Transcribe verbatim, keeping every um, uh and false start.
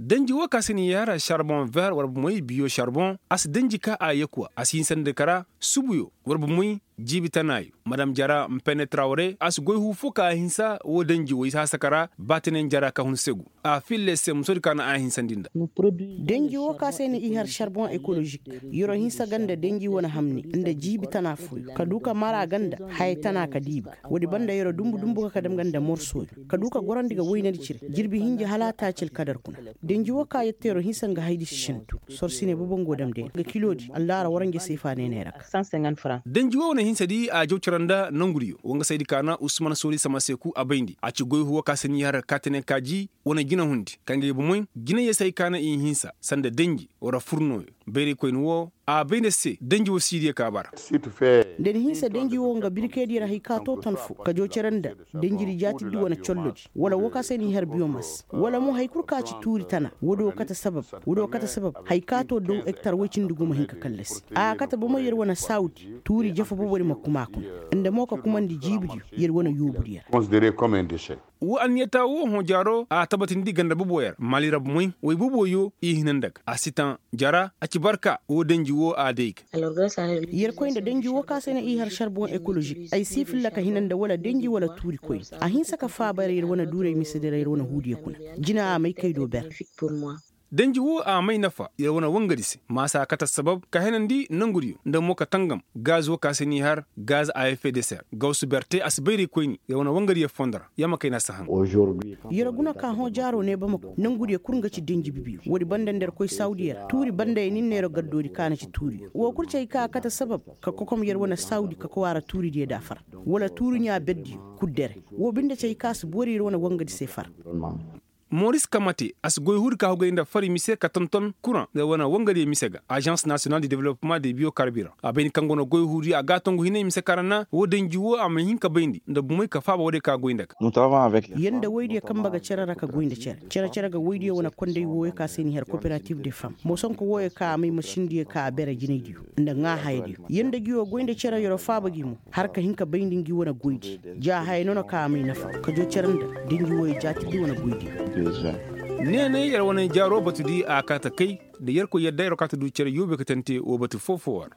Danji woo ka se ni yar charbon ver war bumey biyo charbon a si danji ka a yakuwa a si hinsandi kara subuyo war bumey jiibi tanaayo madam jara mpene trawre a si goy huu foo ka a hinsa woo danji woo i si hasa kara baatinen jara ka hun segu a filla se musodi ka na a hinsandi nda. Danji woo ka se ni i har charbon ekolozik, yer'o hinsa ga nda danji wane hamni nda jiibi tana fooyo ka du ka mara ga nda haya tana ka diibi ga woodi banda yer'o dumbu dumbu ga ka dam ga nda morsoyo ka du ka gorandi ga waynandi cire jirbi hinja hala a taaci alkadar kuna. Danji woo ka yette yer'o hinsa nga haydi si sintu sorsine bobo ngo damde nga kiloodi allaara waranja seefa neeney ra ga. Danji woo wane hinsadi a jaw cere nda nongudiyo wangasaydi ka na usman soori sama seeku a bayndi a ci goy huwa ka se ni har kaatane kaaji wane jinahundi ka ngey bomey jinayey se hay ka na i hinsa sanda danji wara furnooyo bayraykoyni woo a bay nda se danji woo siidiyo ka bara. Da ni hinsa danji woo nga birkeydiyo ra hay ka too ton foo ka jaw cere nda danjidi jaatiddi wane collodi wala woo ka se ni har biyomas wala mo hay kul ka ci tuuri tana woodi woo kate sabab woodi woo kate sabab hay ka too daw ektar woy cindi gumo hin ka kallasi a kate bomey yer wane saawudi tuuri jafa boboodi ma kuma a kuna nda mo ka kumandi jiibidiyo yer wane yoobudiyo ra. Woo anniyataa woo hõ jaaroo a tabatindi ganda boboyo ra maali ra bomey woy boboyo i hina nda ga a si taŋ jara a ci barka woo danji woo a day ga. Yer koy nda danji woo ka se na i har sarbon ekolozik ay si filla ka hina nda wala danji wala tuuri koyni a hinsa ka faaba yer yer wane duuray misedi ra yer wane huudiyo kuna jina a may kay do ber. Danji woo a may nafa yer wane wangadi se maasa kate sabab ka henandi nongudiyo nda mo ka tangam gaz woo ka se n'i har gaz a effet de ser gawsu berte a si bayray koyni yer wane wangadiyo fondo ra yer ma kay na si haŋ. Yer guna ka hõ jaaro ne bamako nongudiyo kul nga ci danji bibiyo woodi banda nda yer koy sawudiyo ra tuuri banda ya nin na yer gaddoodi ka na ci tuuriyo woo kul ci hay ka a kate sabab ka kokom yer wane sawudi ka koy a ra tuuridiyo da a far wala tuuri ɲaa berdiyo kul dere woo binde ci hay ka a si boori yer wane wangadi se far. Moris kamate a si goy huudi ka hugay nda fari mise ka tonton kuraŋ nda wane wangadiyo mise ga azans nasiyonal de developpeman de biyo karbiran a bayndi kaŋ go na goy huudiyo a gaatongu hinay mise kaŋ ra na woo danji woo a ma hin ka bayndi nda bumey ka faaba woodiyo ka goy nda ga. Yer nda woydiyo kaŋ ma ga cere ra ka goy nda cere cere-cere ga woydiyo wane konday wooyo ka se n'i har kooperatif de fam moosonko wooyo ka a may masindiyo ka a bere jinaydiyo nda ŋaahayadiyo yer nda ngi woo goy nda cere yer'o faaba gi mo har ka hin ka bayndi ngi wane goydi ja haya noona ka a may nafa ka joo cere nda da ngi wooyo jaatindi wane goydiyo. Neeney yer wane jaaroo batudi a kaate kay nda yerkoy yadda yer'o kaate du cere yoobe ka tante woo batu foo-foo ra.